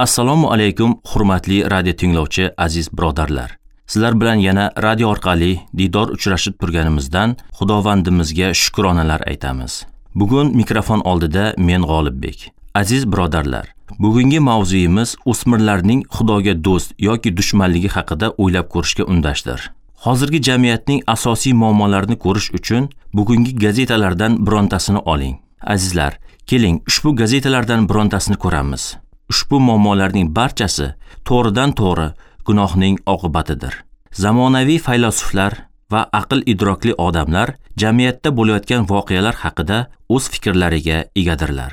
Assalomu alaykum, hurmatli radio tinglovchi aziz birodarlar. Sizlar bilan yana radio orqali diydor uchrashib turganimizdan Xudovandimizga shukronalar aytamiz. Bugun mikrofon oldida men G'olibbek. Aziz birodarlar, bugungi mavzuyimiz o'smirlarning Xudoga do'st yoki dushmanligi haqida o'ylab ko'rishga undashdir. Hozirgi jamiyatning asosiy muammolarini ko'rish uchun bugungi gazetalardan birontasini oling. Azizlar, keling ushbu gazetalardan birontasini ko'ramiz. Ushbu muammolarning barchasi to'g'ridan-to'g'ri gunohning oqibatidir. Zamonaviy faylasuflar va aql idrokli odamlar jamiyatda bo'layotgan voqealar haqida o'z fikrlariga egadirlar.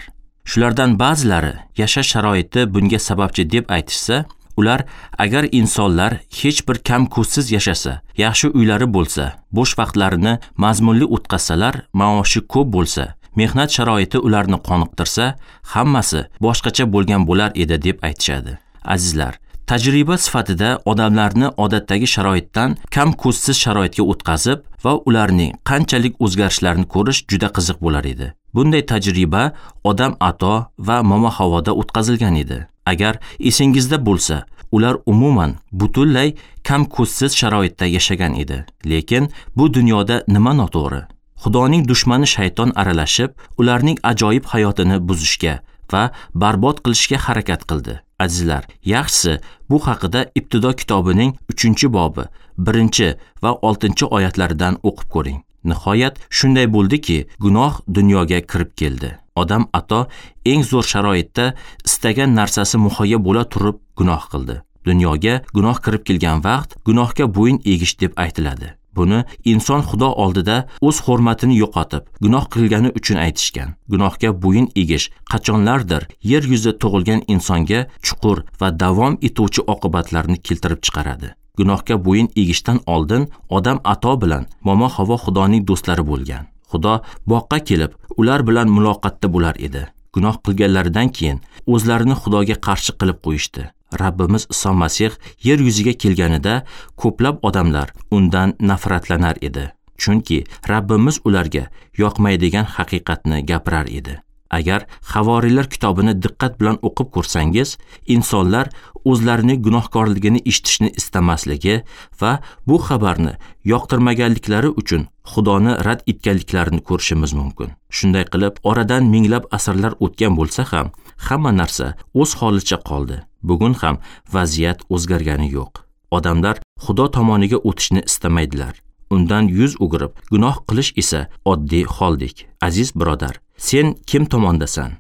Shulardan ba'zilari yashash sharoiti bunga sababchi deb aytishsa, ular agar insonlar hech bir kam ko'zsiz yashasa, yaxshi uylari bo'lsa, bo'sh vaqtlarini mazmunli o'tkazsalar, maoshi ko'p bo'lsa, mehnat sharoiti ularni qoniqtirsa, hammasi boshqacha bo'lgan bo'lar edi deb aytishadi. Azizlar, tajriba sifatida odamlarni odatdagi sharoitdan kam ko'zsiz sharoitga o'tkazib va ularning qanchalik o'zgarishlarini ko'rish juda qiziq bo'lar edi. Bunday tajriba Odam Ato va Momo Havoda o'tkazilgan edi. Agar esingizda bo'lsa, ular umuman butunlay kam ko'zsiz sharoitda yashagan edi. Lekin bu dunyoda nima noto'g'ri? Xudoning dushmani shayton aralashib, ularning ajoyib hayotini buzishga va barbod qilishga harakat qildi. Azizlar, yaxshisi bu haqida Ibtido kitobining 3-bobi, 1 va 6-oyatlaridan o'qib ko'ring. Nihoyat shunday bo'ldiki, gunoh dunyoga kirib keldi. Odam Ato eng zo'r sharoitda istagan narsasi muhayyo bo'la turib gunoh qildi. Dunyoga gunoh kirib kelgan vaqt gunohga bo'yin egish deb aytiladi. Buni inson Xudo oldida o'z hurmatini yo'qotib, gunoh qilgani uchun aytishgan. Gunohga bo'yin egish qachonlardir yer yuzida tug'ilgan insonga chuqur va davom etuvchi oqibatlarni keltirib chiqaradi. Gunohga bo'yin egishdan oldin Odam Ato bilan Momo Havo Xudoning do'stlari bo'lgan. Xudo boqqa kelib, ular bilan muloqotda bo'lar edi. Gunoh qilganlaridan keyin o'zlarini Xudoga qarshi qilib qo'yishdi. Rabbimiz Iso Masih yer yuziga kelganida ko'plab odamlar undan nafratlanar edi. Chunki Rabbimiz ularga yoqmaydigan haqiqatni gapirar edi. Agar Havoriylar kitobini diqqat bilan o'qib ko'rsangiz, insonlar o'zlarining gunohkorligini eshitishni istamasligi va bu xabarni yoqtirmaganliklari uchun Xudoni rad etganliklarini ko'rishimiz mumkin. Shunday qilib, oradan minglab asrlar o'tgan bo'lsa ham, hamma narsa o'z holicha qoldi. Bugun ham vaziyat o'zgargani yo'q. Odamlar Xudo tomoniga o'tishni istamaydilar. Undan yuz o'girib, gunoh qilish esa oddiy holdek. Aziz birodar, sen kim tomondasan?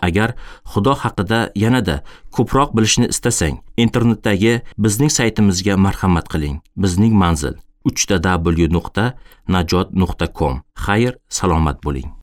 Agar Xudo haqida yanada ko'proq bilishni istasang, internetdagi bizning saytimizga marhamat qiling. Bizning manzil www.najot.com. Xayr, salomat bo'ling.